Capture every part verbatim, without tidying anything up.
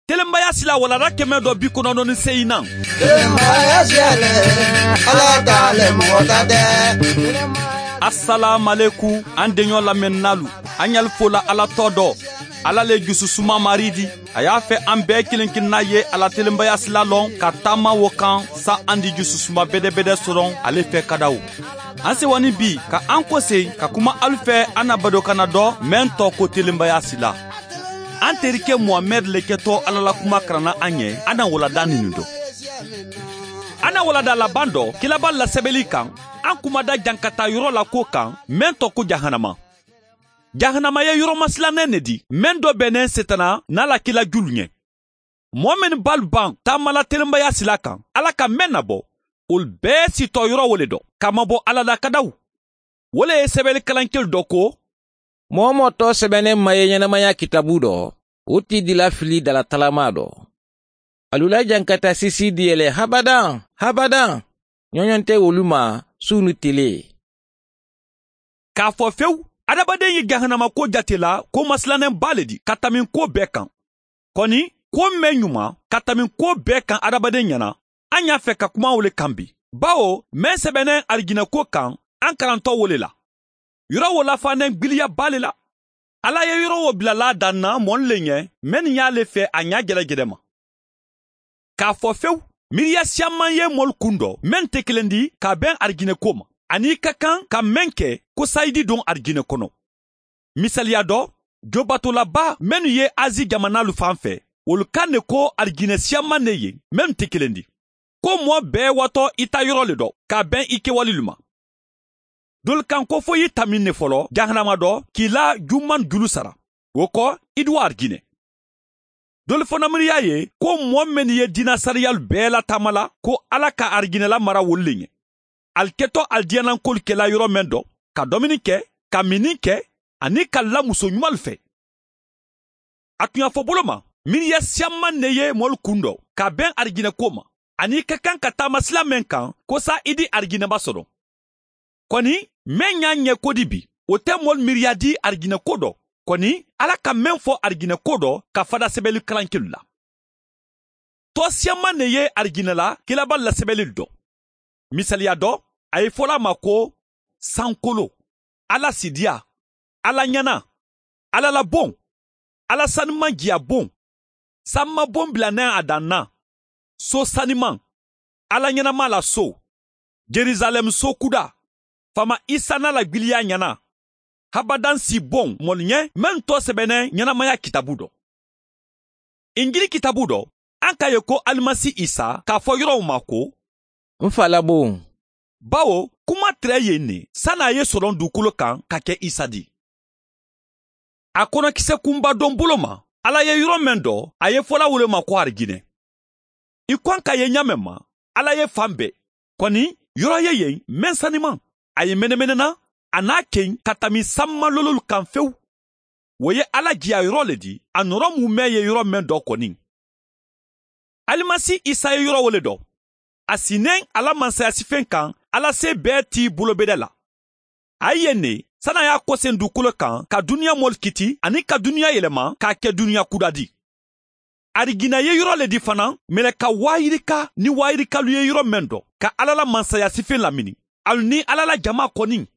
Telenbaya sila walada kɛmɛ dɔ bi kɔnɔntɔn ni seegin na. Telenbaya siyale, Ala t'ale mɔgɔ ta tɛ. Asalaamaleku an denɲɔ lamɛnnalu, an y'al fola Ala tɔ dɔ. Ala le jususuma mari di. A y'a fɛ an bɛɛ kelen kelenna ye ala telenbaya sila lɔn ka taama wo kan sa an di jususuma bɛdɛbɛdɛ sɔrɔ ale fɛ kadaw. An sewani bi ka an kɔsen ka kuma alu fɛ an na badokana dɔ mɛn tɔ ko telenbaya sila. An terikɛ Muhamɛd le kɛtɔ Ala la kuma karanna an ɲɛ, an na walada nin dɔ. An na walada laban dɔ kilaba lasɛbɛli kan, an kumada jankata yɔrɔ la ko kan mɛn tɔ ko jahanama. Jahanama ye yɔrɔ masilannen ne di, mɛn dɔ bɛnnen setana n'a la kila julu ɲɛ. Mɔgɔ minnu b'alu ban taamala telenbaya sila kan, Ala ka mɛn nabɔ, olu bɛɛ sitɔ yɔrɔ wo le dɔ, k'a mabɔ Ala la kadaw. Wo le ye sɛbɛnni kalankɛlu dɔ ko, mɔgɔ mɔgɔ tɔ sɛbɛnnen ma ye ɲɛnamaya kitabu dɔ, o ti dila fili dala talama dɔ. Alu la jankata sisi di yɛlɛ habadan, habadan. Ɲɔɲɔn tɛ olu ma su ni tele. K'a fɔ fewu, adamaden ye jahanama ko jate la ko masilannen ba le di ka tɛmɛ ko bɛɛ kan. Kɔni, ko mɛn ɲuman ka tɛmɛ ko bɛɛ kan adamaden ɲɛna, an y'a fɛ ka kuma o le kan bi. Bawo, mɛn sɛbɛnnen arijinɛ ko kan, an karantɔ wo le la. Yɔrɔ wo lafanen gbiliya ba le la. Ala ye yɔrɔ wo bilala dan na mɔni le ɲɛ, mɛn nin y'ale fɛ a ɲa gɛlɛgɛlɛ ma. K'a fɔ fewu, miiriya siaman ye mɔli kun dɔ, mɛn tɛ kelen di k'a bɛn arijinɛ ko ma. Ani ka kan ka mɛn kɛ ko sayidi don arijinɛ kɔnɔ. Misaliya dɔ, jobatolaba minnu ye Azi jamanalu fan fɛ, olu kan de ko arijinɛ siaman ne ye, mɛn tɛ kelen di. Ko mɔɔ bɛɛ watɔ i ta yɔrɔ le dɔ, k'a bɛn i kɛwale ma. Dolu kan ko fo i tamin ne fɔlɔ jahanama dɔ k'i la juman julu sara. O kɔ, i du arijinɛ. Dolu fana miiriya ye ko mɔɔ minnu ye diinɛ sariyalu bɛɛ lataama la, ko Ala ka arijinɛ mara wolu le ɲɛ. Al kɛtɔ alijanankolu kɛla yɔrɔ mɛn dɔ, ka dumuni kɛ, ka minni kɛ, ani ka la muso ɲumanlu fɛ. A tun y'a fɔ bolo ma, miiriya siaman ne ye mɔlu kun dɔ, ka bɛn arijinɛ ko ma, ani ka kan ka taama sila mɛn kan, ko sa i di arijinɛba sɔrɔ. Kɔni, mɛn y'a ɲɛ ko di bi, o tɛ mɔlu miiriya di arijinɛ ko dɔ. Kɔni, Ala ka mɛn fɔ arijinɛ ko dɔ ka fada sɛbɛnni kalankɛlu la. Tɔ siaman ne ye arijinɛ la kilaba lasɛbɛnni dɔ. Misaliya dɔ, a ye fɔla ma ko sankolo, Ala sidiya, Ala ɲɛna, Ala la bon, Ala sanuman jiya bon, sanma bon bilanen a dan na, so saniman, Ala ɲɛnama la so, Jerusalem so kuda, fama Isa n'a la gbiliya ɲɛna, habadan si bon mɔli ɲɛ mɛn tɔ sɛbɛnnen ɲɛnamaya kitabu dɔ. Injili kitabu dɔ, an k'a ye ko Alimasi Isa k'a fɔ yɔrɔw ma ko n fa la bon. Bawo, kuma tɛrɛ yen ne, san'a ye sɔrɔ dugukolo kan ka kɛ Isa di. A kɔnɔkisɛ kunba dɔn bolo ma, Ala ye yɔrɔ mɛn dɔ, a ye fɔla wolo ma ko arijinɛ. I kɔn ka ye ɲamɛ ma, Ala ye fan bɛɛ. Kɔni, yɔrɔ ye yen mɛn saniman. A ye mɛnɛmɛnɛna, a n'a ken ka tɛmɛ sanmalololu kan fewu. O ye Ala jiya yɔrɔ le di, a nɔrɔ mun mɛn ye yɔrɔ mɛn dɔ kɔni. Alimasi Isa ye yɔrɔ wole dɔ. A sinnen Ala mansaya sifen kan, Ala se bɛɛ t'i bolobɛdɛ la. A ye ne, san'a y'a kɔsen dugukolo kan ka duniya mɔli kiti ani ka duniya yɛlɛma k'a kɛ duniya kuda di. Arijinɛ ye yɔrɔ le di fana, mɛlɛka waayirika ni waayirikalu ye yɔrɔ mɛn dɔ, ka Ala la mansaya sifen lamini. Alu ni Ala la jama kɔni.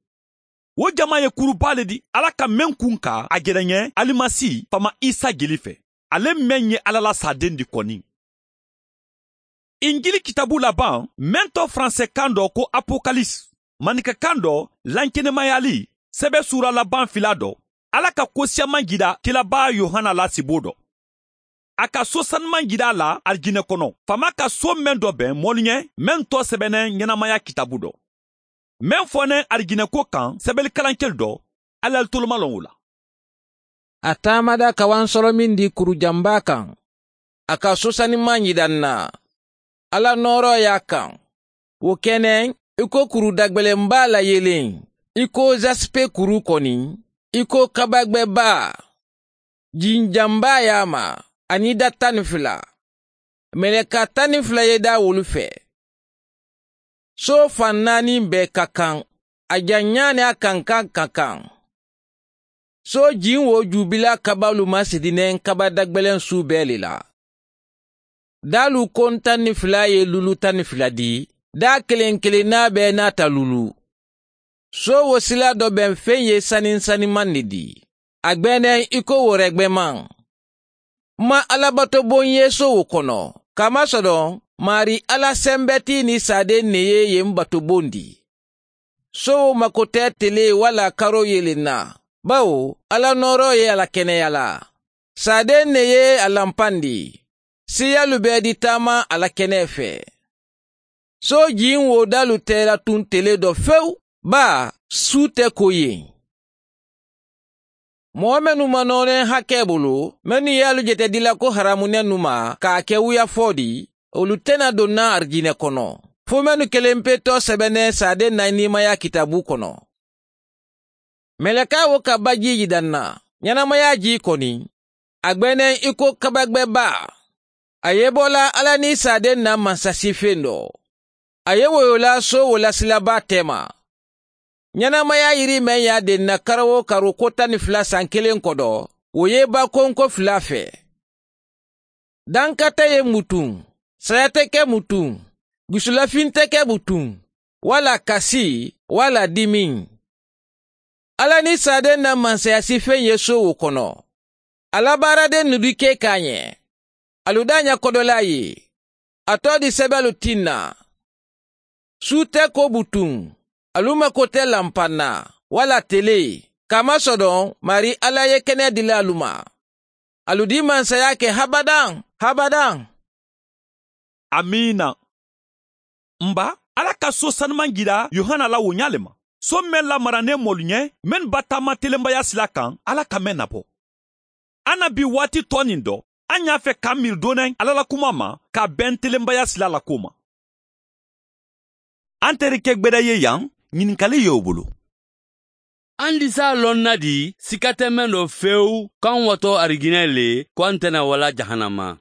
O jama ye kuruba le di, Ala ka mɛn kun ka a gɛrɛɲɛ Alimasi fama Isa jeli fɛ. Ale mɛn ye Ala la saden di kɔni. Injili kitabu laban, mɛn tɔ faransɛ kan dɔ ko Apokalisi, maninka kan dɔ lankɛnɛmayali, sɛbɛ sura laban fila dɔ, Ala ka ko siaman jira kilaba Yohana la sibo dɔ. A ka so sanuman jira a la arijinɛ kɔnɔ, fama ka so mɛn dɔ bɛn mɔli ɲɛ, mɛn tɔ sɛbɛnnen ɲɛnamaya kitabu dɔ. Mɛn fɔnen arijinɛ ko kan sɛbɛnni kalankɛli dɔ, Ala toloma lɔn o la. A taamada kawan sɔrɔ min di kurujanba kan, a ka so sanuman jira n na. Ala nɔɔrɔ y'a kan. O kɛnɛ, i ko kuru dagbɛlɛnba la yelen, i ko jaspe kuru kɔni, i ko kabagbɛba, jinjanba y'a ma, ani da tan ni fila. Mɛlɛka tan ni fila ye da wolu fɛ. So fan naani bɛɛ ka kan, a janya ni a kankan ka kan. So jin wo jubila kabalu ma sidinen kaba dagbɛlɛn su bɛɛ le la. Dalu kon tan ni fila ye lulu tan ni fila di, da kelen kelenna bɛɛ n'a ta lulu. So wo sila dɔ bɛn fɛn ye sani saniman de di. A gbɛnɛ i ko wɛrɛ gbɛman. Ma alabato bon ye so wo kɔnɔ. Kamasɔrɔ Mari Ala sɛnbɛti ni saden ne ye yen bato bon di. So wo mako tɛ tele wala karo yelen na. Bawo Ala nɔrɔ ye a la kɛnɛya la. Saden ne ye a lanpan di. Siyalu bɛɛ di taama a la kɛnɛ fɛ. So jin wo dalu tɛ la tun tele dɔ fewu. Ba su tɛ ko ye. Mɔgɔ minnu ma nɔɔrɛ hakɛ bolo, minnu y'alu jate dila ko haramunɛ nu ma k'a kɛ wuya fɔ di, olu tɛna don na arijinɛ kɔnɔ. Fo minnu kelen pe tɔ sɛbɛnɛ saden na nimaya kitabu kɔnɔ. Mɛlɛka wo ka baji yidan na, ɲɛnamaya ji kɔni, a gbɛnɛ i ko kabagbɛba. A ye bɔla Ala ni saden na mansasifen dɔ. A ye woyola so wolasilaba tɛma. Ɲɛnamaya yiri mɛn y'a den na karo o karo ko tan ni fila san kelen kɔdɔ, o ye bakonko fila fɛ. Danka tɛ ye mutun, saya tɛ kɛ mutun, dusulafin tɛ kɛ mutun, wala kasi, wala dimi. Ala ni saden na mansayasifen ye so wo kɔnɔ. Ala baaraden nudike k'a ɲɛ. Alu da ɲɛ kɔdɔla ye. A tɔ di sɛbɛlu tin na. Su tɛ ko butun. Alu mako tɛ lanpan na, wala tele. Kamasɔrɔ Mari Ala ye kɛnɛ dila alu ma. Alu di mansaya kɛ habadan, habadan. Amina. Nba, Ala ka so sanuman jira Yohana la o ɲa le ma. So mɛn lamaranen mɔlu ɲɛ, mɛn ba taama telenbaya sila kan, Ala ka mɛn nabɔ. An na bi waati tɔ nin dɔ, an y'a fɛ k'an miiri dɔɔnin Ala la kuma ma, ka bɛn telenbaya sila la ko ma. An terikɛ gbɛdɛ ye yan, ɲininkali y'o bolo. An di s'a lɔn na di, sika tɛ mɛn dɔ fewu k'an watɔ ariginɛ le, ko an tɛna wala jahanama.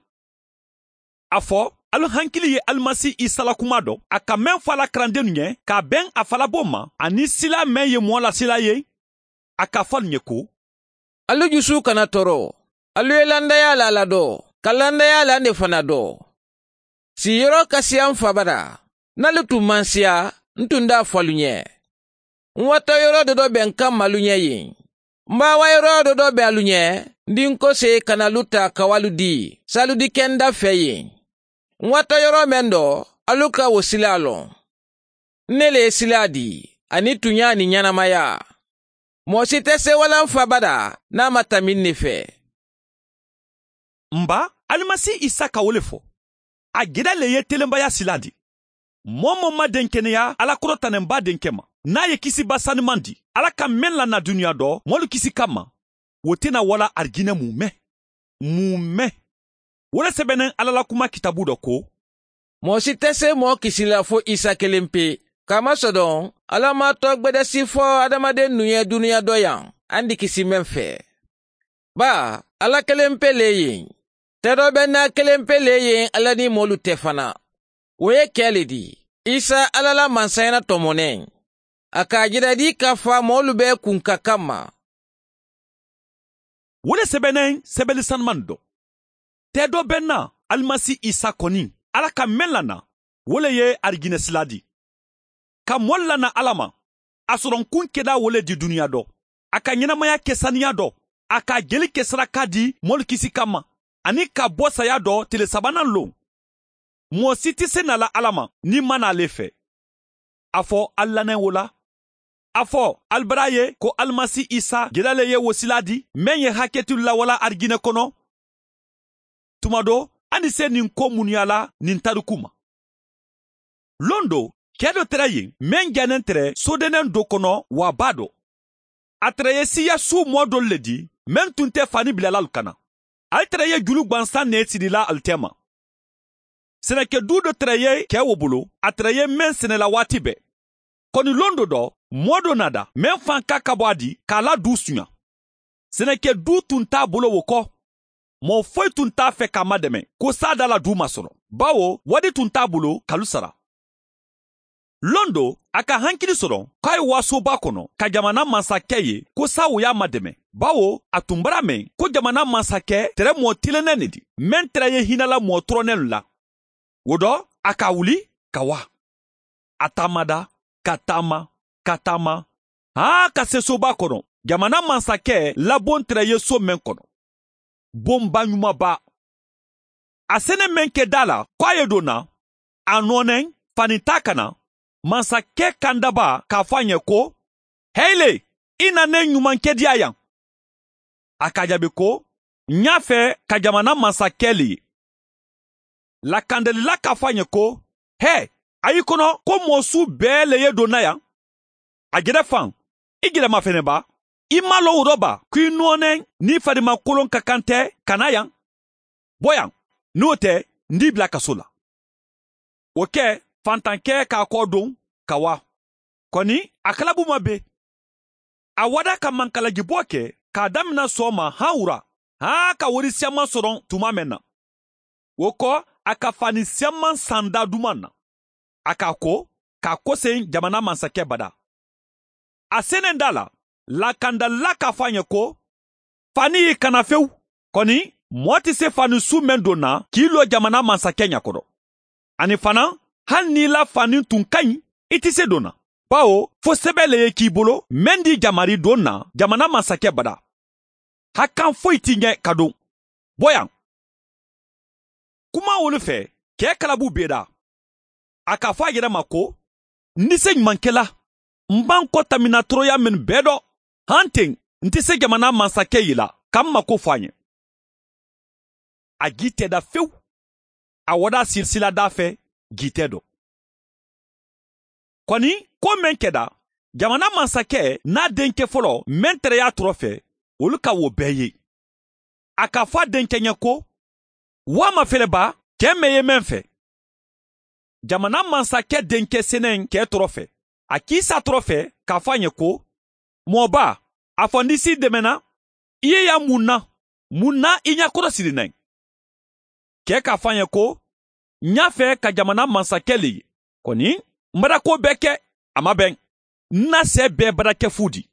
A fɔ, alu hankili ye Alimasi Isa la kuma dɔ, a ka mɛn fɔ a la karandenw ɲɛ, k'a bɛn a falabo ma, ani sila mɛn ye mɔɔ la sila ye, a ka fɔ alu ɲɛ ko. Alu jusu kana tɔɔrɔ, alu ye landaya la la dɔ, ka landaya la ne fana dɔ. Siyɔrɔ ka siya n fa bara, n'alu tun man siya, n tun t'a fɔ alu ɲɛ. N watɔ yɔrɔ dɔ dɔ bɛ n ka malu ɲɛ yen. N b'a wa yɔrɔ dɔ dɔ bɛ alu ɲɛ, n di n ko se ka na alu ta ka walu di, salu di kɛ n da fɛ yen. N watɔ yɔrɔ mɛn dɔ, alu ka o sila lɔn. Ne le ye sila di, ani tunya ni ɲɛnamaya. Mɔgɔ si tɛ se wala n fa bada n'a ma tɛmɛ ne fɛ. Nba, Alimasi Isa ka wo le fɔ. A gɛrɛ le ye telenbaya sila di. Mɔɔ mɔ ma den kɛnɛya Ala kɔrɔtanenba denkɛ ma. N'a ye kisiba sanuman di, Ala ka mɛn lana dunuya dɔ, mɔlu kisi kama, o tɛna wala arijinɛ mun mɛn. Mun mɛn. O le sɛbɛnnen Ala la kuma kitabu dɔ ko. Mɔgɔ si tɛ se mɔgɔ kisi la fo Isa kelen pe. Kamasɔrɔ Ala ma tɔ gbɛdɛsi fɔ adamaden nu ye dunuya dɔ yan, an di kisi mɛn fɛ. Ba, Ala kelen pe le yen. Tɛ dɔ bɛ n'a kelen pe le yen Ala ni mɔlu tɛ fana. O ye kɛ le di. Isa Ala la mansaya tɔmɔnɛ. A k'a jira di k'a fɔ mɔlu bɛɛ kun ka kan ma. O le sɛbɛnnen sɛbɛnni sanuman dɔ. Tɛ dɔ bɛ na Alimasi Isa kɔni, Ala ka mɛn lana, o le ye arijinɛ sila di. Ka mɔli lana Ala ma, a sɔrɔ kun kɛda wo le di dunuya dɔ. A ka ɲɛnamaya kɛ saniya dɔ, a ka jeli kɛ saraka di mɔli kisi kama, ani ka bɔ saya dɔ tile sabanan lon. Mɔgɔ si tɛ se na la Ala ma n'i ma n'ale fɛ. A fɔ a lanɛ o la. A fɔ alibara ye ko Alimasi Isa gɛlɛle ye wosila di, mɛn ye hakɛtu lawala arijinɛ kɔnɔ. Tuma dɔ, an ni se nin ko munuya la nin tariku ma. Lon do, kɛ dɔ tɛrɛ yen, mɛn janen tɛrɛ sodenɛn dɔ kɔnɔ wa ba dɔ. A tɛrɛ ye siya su mɔ dɔ le di, mɛn tun tɛ fani bilala alu kana. Ale tɛrɛ ye julu gwansan ne sirila alu tɛ ma. Sɛnɛkɛdu dɔ tɛrɛ ye kɛ wo bolo, a tɛrɛ ye mɛn sɛnɛla waati bɛɛ. Kɔni lon dɔ dɔ, mɔ dɔ nada, mɛn fan ka ka bɔ a di, k'a la du suɲa. Sɛnɛkɛdu tun t'a bolo wo kɔ. Mɔgɔ foyi tun t'a fɛ k'a madɛmɛ, ko sa da la du ma sɔrɔ. Bawo, wari tun t'a bolo k'alu sara. Lon do, a ka hankili sɔrɔ k'a ye wasoba kɔnɔ ka jamana masakɛ ye ko sa o y'a madɛmɛ. Bawo a tun bara mɛn ko jamana masakɛ tɛrɛ mɔɔ tilennɛn ne di mɛn tɛrɛ ye hinɛla mɔɔ tɔrɔnɛlu la. O dɔ a ka wuli ka wa. A taamada ka taama ka taama haa ka se soba kɔnɔ. Jamana masakɛ labon tɛrɛ ye so mɛn kɔnɔ. Bonba ɲumanba. A sɛnɛ mɛn kɛ da la k'a ye don na a nɔnɛ fani ta ka na. Masakɛ kandaba k'a fɔ a ɲɛ ko heyle i na ne ɲumankɛ diya yan. A ka jaabi ko n y'a fɛ ka jamana masakɛ le ye. Lakandalila k'a fɔ a ɲɛ ko hɛ a y'i kɔnɔ ko mɔɔ su bɛɛ le ye donna yan. A gɛrɛ fan i gɛrɛma fɛnɛ ba i ma lɔn o dɔ ba ko i nɔɔnɛ n'i farimakolon ka kan tɛ ka na yan. Bɔ yan n'o tɛ n t'i bila kaso la. O kɛ fantankɛ k'a kɔ don ka wa. Kɔni a kalabu ma be. A wada ka mankalajibɔ kɛ k'a damina sɔgɔma han wura han ka wari siaman sɔrɔ tuma mɛn na. O kɔ a ka fani siaman san da duman na. A k'a ko k'a kɔsen jamana masakɛ bada. A senen da la lakandala k'a fɔ a ɲɛ ko fani y'i kana fewu. Kɔni mɔɔ tɛ se fani su mɛn don na k'i lɔ jamana masakɛ ɲakɔrɔ. Ani fana hali n'i la fani tun ka ɲi i tɛ se don na. Bawo fo sɛbɛn le ye k'i bolo mɛn di jamari don na jamana masakɛ bada. Hakan foyi t'i ɲɛ ka don. Bɔ yan. Kuma wolu fɛ kɛ kalabu bɛ da. A k'a fɔ a yɛrɛ ma ko n tɛ se ɲumankɛla n b'an kɔ tamina tɔɔrɔya min bɛɛ dɔ han ten n tɛ se jamana masakɛ yi la ka n mako fɔ a ɲɛ. A ji tɛ da fewu. A wada silsila da fɛ ji tɛ dɔ. Kɔni ko mɛn kɛda jamana masakɛ n'a denkɛ fɔlɔ mɛn tɛrɛ y'a tɔrɔ fɛ olu ka wo bɛɛ ye. A k'a fɔ a denkɛ ɲɛ ko wa ma fɛlɛba cɛ mɛn ye mɛn fɛ. Jamana masakɛ denkɛ sɛnɛ kɛ tɔrɔ fɛ. A k'i sa tɔrɔ fɛ k'a fɔ a ɲɛ ko mɔba a fɔ n'i si dɛmɛna i ye yan mun na mun na i ɲɛkɔrɔ siri nɛ. Kɛ k'a fɔ a ɲɛ ko n y'a fɛ ka jamana masakɛ le ye. Kɔni n bara ko bɛɛ kɛ a ma bɛn. N na sɛ bɛɛ bara kɛ fu di.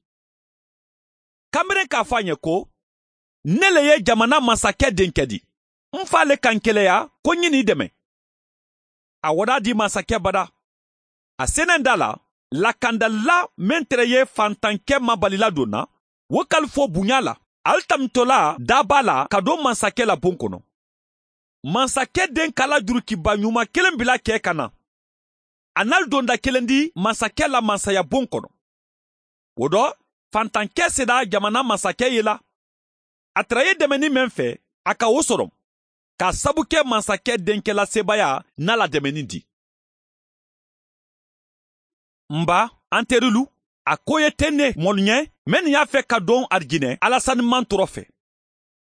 Kamalen k'a fɔ a ɲɛ ko ne le ye jamana masakɛ denkɛ di. N fa le kan kɛlɛya ko n ye n'i dɛmɛ. A wada di masakɛ bada. A senen da la lakandala mɛn tɛrɛ ye fantankɛ mabalila don na wo kalifo bonya la ali tamitɔla daba la ka don masakɛ la bon kɔnɔ. Masakɛ den kala jurukiba ɲuman kelen bila kɛ ka na. A n'ali donda kelen di masakɛ la masaya bon kɔnɔ. O dɔ fantankɛ sera jamana masakɛ ye la. A tɛrɛ ye dɛmɛni mɛn fɛ a ka o sɔrɔ k'a sabu kɛ masakɛ denkɛ la sebaaya n'a la dɛmɛni di. Nba an terilu a ko ye tɛ ne mɔlu ɲɛ mɛ nin y'a fɛ ka don arijinɛ alasaniman tɔrɔ fɛ.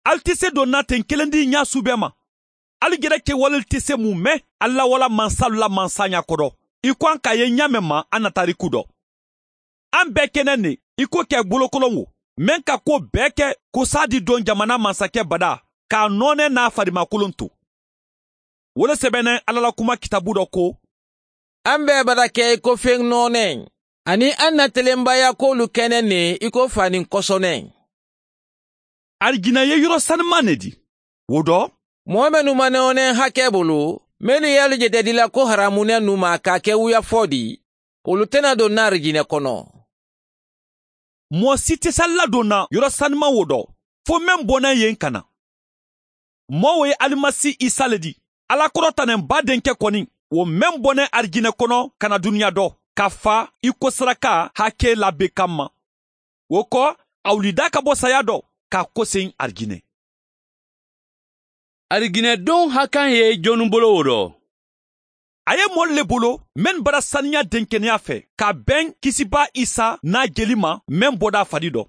Ali tɛ se don na ten kelen di ɲa su bɛɛ ma. Ali gɛrɛ kɛwale tɛ se mun mɛn ala wala mansalu la mansa ɲakɔrɔ. I ko an k'a ye ɲa mɛn ma an na tariku dɔ. An bɛɛ kɛnɛ ne i ko kɛ bolokolon wo mɛn ka ko bɛɛ kɛ ko sa di don jamana masakɛ bada k'a nɔnɛ n'a farimakolon to. Wolo sɛbɛnɛ ala la kuma kitabu dɔ ko an bɛɛ bara kɛ i ko fɛn nɔɔnɛ ani an na telenbaya k'olu kɛnɛ ne i ko fani kɔsɔnɛ. Arijinɛ ye yɔrɔ sanuman ne di. O dɔ mɔɔ minnu ma nɔɔnɛ hakɛ bolo minnu y'alu jɛtɛdila ko haramunɛ nu ma k'a kɛ wuyafɔ di olu tɛna don n'arijinɛ kɔnɔ. Mɔɔ si tɛ se ladon na yɔrɔ sanuman wo dɔ fo mɛn bɔnna yen ka na. Mɔɔ wo ye alimasi Isa le di. Ala kɔrɔtanen ba denkɛ kɔni o mɛn bɔnɛ arijinɛ kɔnɔ ka na duniya dɔ ka fa i ko saraka hakɛ labe kama. O kɔ a wulida ka bɔ saya dɔ k'a kɔsen arijinɛ. Ariginɛdon hakan ye jɔnni bolo o dɔ. A ye mɔli le bolo mɛn bara saniya denkɛnɛya fɛ ka bɛn kisiba Isa n'a jeli ma mɛn bɔda fari dɔ.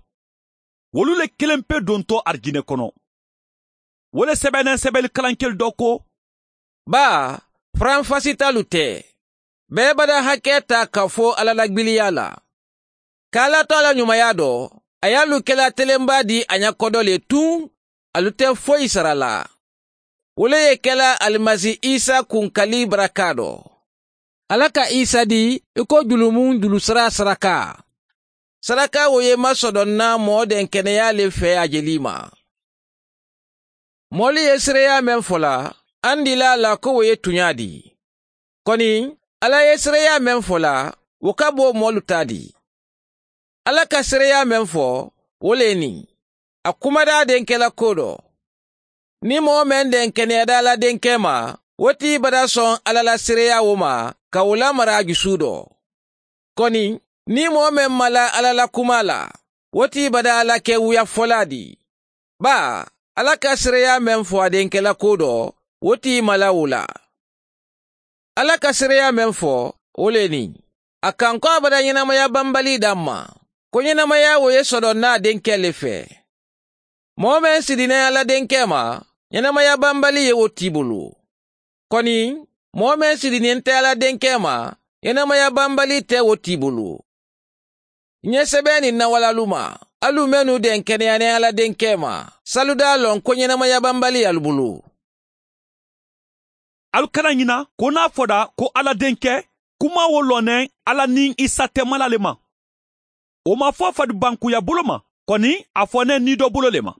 Wolu le kelen pe dontɔ arijinɛ kɔnɔ. Wole sɛbɛnɛ sɛbɛnni kalankɛli dɔ ko ba faranfasitalu tɛ. Bɛɛ bada hakɛ ta ka fɔ ala lagbiliya la. K'ala to ala ɲumanya dɔ a y'alu kɛla telenba di a ɲakɔdɔ le tun alu tɛ foyi sara la. Wole ye kɛla alimasi Isa kunkali baraka dɔ. Ala ka Isa di i ko julumun julusara saraka. Saraka wo ye masɔdɔnna mɔɔ den kɛnɛya le fɛ a jeli ma. Mɔli ye seereya mɛn fɔla, an dila la ko o ye tunya di. Kɔni, Ala ye seereya mɛn fɔla, o ka bɔ mɔlu ta di. Ala ka seereya mɛn fɔ, o le nin. A kumada denkɛ la ko dɔ. Ni mɔgɔ mɛn den kɛnɛyada la denkɛ ma, o t'i bada sɔn Ala la seereya o ma, ka o lamara a jusu dɔ. Kɔni, ni mɔgɔ mɛn ma la Ala la kuma la, o t'i bada Ala kɛ wuya fɔla di. Ba, Ala ka seereya mɛn fɔ a denkɛ la ko dɔ, o t'i ma la o la. Ala ka seereya mɛn fɔ, o le nin. A kan ko a bada ɲɛnamaya banbali d'an ma, ko ɲɛnamaya o ye sɔrɔ n'a denkɛ le fɛ. Mɔgɔ mɛn sidinɛ Ala denkɛ ma, ɲɛnamaya banbali ye o t'i bolo. Kɔni, mɔgɔ mɛn sidinen tɛ Ala denkɛ ma, ɲɛnamaya banbali tɛ o t'i bolo. N ye sɛbɛn nin nawalalu ma, alu mɛnnu den kɛnɛyanen Ala denkɛ ma, saluda lɔn ko ɲɛnamaya banbali y'alu bolo. Alu kana ɲina ko n'a fɔra ko Ala denkɛ, kuma wo lɔnɛ Ala ni Isa tɛmala le ma. O ma fɔ faribankuya bolo ma, kɔni a fɔnɛ ni dɔ bolo le ma.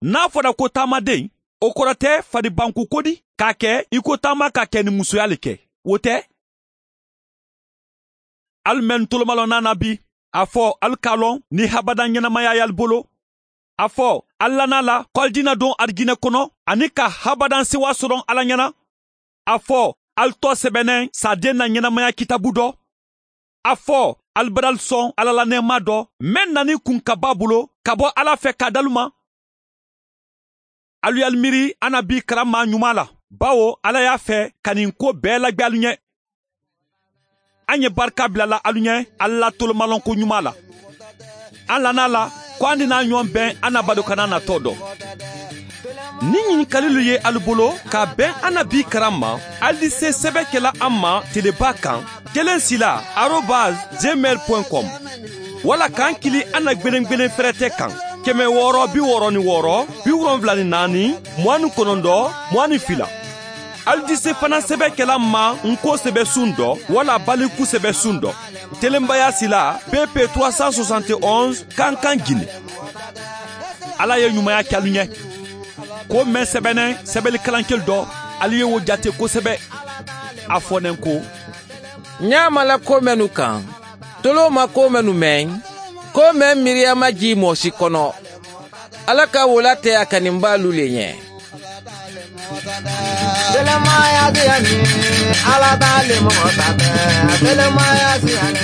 N'a fɔra ko taamaden, o kɔrɔ tɛ faribanku ko di k'a kɛ i ko taama ka kɛ ni musoya le kɛ, o tɛ. Alu mɛn tolomalɔ na bi, a fɔ alu k'a lɔn ni habada ɲɛnamaya y'alu bolo. A fɔ alu lana la ko alu dina don arijinɛ kɔnɔ ani ka habadan sewa sɔrɔ Ala ɲɛna. A fɔ alu tɔ sɛbɛnɛ saden na ɲɛnamaya kitabu dɔ. A fɔ alu badal sɔn Ala la nɛɛma dɔ mɛn nani kun ka ba bolo ka bɔ Ala fɛ k'a dalu ma. Alu y'alu miiri an na bi karama ɲuman la, bawo Ala y'a fɛ ka nin ko bɛɛ lagwɛ alu ɲɛ. An ye barika bilala alu ɲɛ Ala la tolomalɔnko ɲuman la. An lana la ko an dina ɲɔgɔn bɛn an na badokana natɔ dɔ. Ni ɲininkalilu ye alu bolo ka bɛn an na bi karan ma, alu di se sɛbɛn kɛla an ma teleba kan kelen sila arobase gmail point com wala k'an kili an na gwelen-gwelen fɛrɛtɛ kan kɛmɛ wɔɔrɔ bi wɔɔrɔ ni wɔɔrɔ bi wolonfila ni naani mugan ni kɔnɔntɔn mugan ni fila. Alu di se fana sɛbɛn kɛla ma nko sɛbɛ sun dɔ wala baliku sɛbɛ sun dɔ. Telenbaya sila P P trois cent soixante et onze Kankan Guinée. Ala ye ɲumanya kɛ alu ɲɛ. Ko mɛn sɛbɛnɛ sɛbɛnni kalankɛli dɔ, alu ye o jate kosɛbɛ. A fɔnɛ ko n y'a mala ko mɛnnu kan, tolo ma ko mɛnnu mɛn, ko mɛn miiriya ma ji mɔɔ si kɔnɔ. Ala ka wola tɛ a kaninbaalu le ɲɛ. Telemaya siyani, Ala t'ale mɔgɔ ta tɛ. Telemaya siyani.